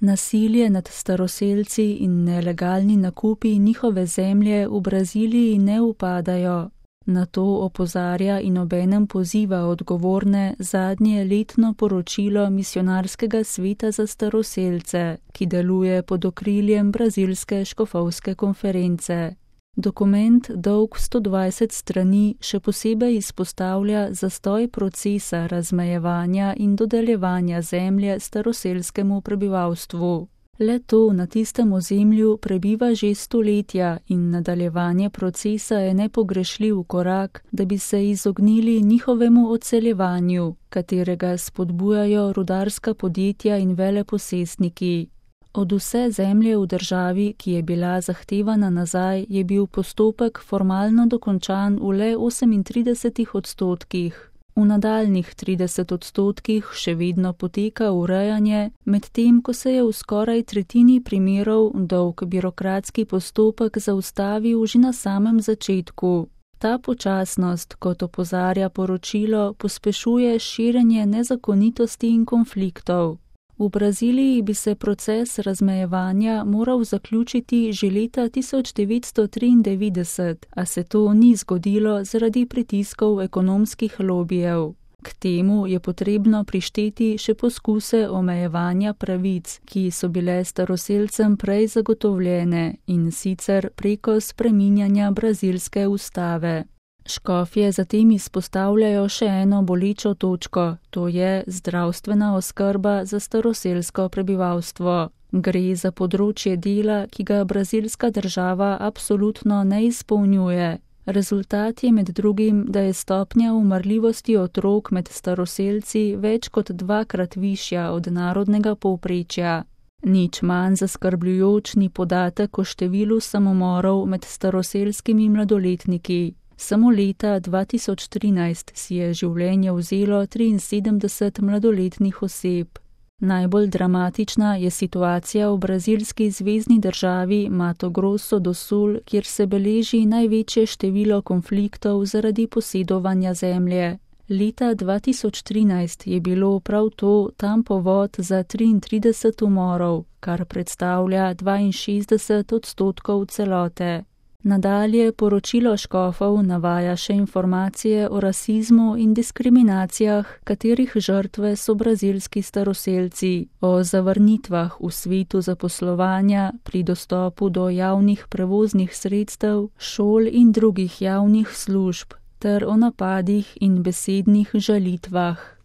Nasilje nad staroselci in nelegalni nakupi njihove zemlje v Braziliji ne upadajo. Na to opozarja in obenem poziva odgovorne zadnje letno poročilo Misijonarskega sveta za staroselce, ki deluje pod okriljem Brazilske škofovske konference. Dokument, dolg 120 strani, še posebej izpostavlja zastoj procesa razmejevanja in dodeljevanja zemlje staroselskemu prebivalstvu. Le to na tistem ozemlju prebiva že stoletja in nadaljevanje procesa je nepogrešljiv korak, da bi se izognili njihovemu odseljevanju, katerega spodbujajo rudarska podjetja in veleposestniki. Od vse zemlje v državi, ki je bila zahtevana nazaj, je bil postopek formalno dokončan v le 38%. V nadaljnih 30% še vedno poteka urejanje, medtem ko se je v skoraj tretjini primerov dolg birokratski postopek zaustavil že na samem začetku. Ta počasnost, kot opozarja poročilo, pospešuje širjenje nezakonitosti in konfliktov. V Braziliji bi se proces razmejevanja moral zaključiti že leta 1993, a se to ni zgodilo zaradi pritiskov ekonomskih lobijev. K temu je potrebno prišteti še poskuse omejevanja pravic, ki so bile staroselcem prej zagotovljene, in sicer preko spreminjanja brazilske ustave. Škofje zatem izpostavljajo še eno bolečo točko, to je zdravstvena oskrba za staroselsko prebivalstvo. Gre za področje dela, ki ga brazilska država absolutno ne izpolnjuje. Rezultat je med drugim, da je stopnja umrljivosti otrok med staroselci več kot 2-krat višja od narodnega povprečja. Nič manj zaskrbljujoč ni podatek o številu samomorov med staroselskimi mladoletniki. Samo leta 2013 si je življenje vzelo 73 mladoletnih oseb. Najbolj dramatična je situacija v brazilski zvezni državi Mato Grosso do Sul, kjer se beleži največje število konfliktov zaradi posedovanja zemlje. Leta 2013 je bilo prav to tam povod za 33 umorov, kar predstavlja 62% celote. Nadalje poročilo škofov navaja še informacije o rasizmu in diskriminacijah, katerih žrtve so brazilski staroselci, o zavrnitvah v svetu zaposlovanja, pri dostopu do javnih prevoznih sredstev, šol in drugih javnih služb, ter o napadih in besednih žalitvah.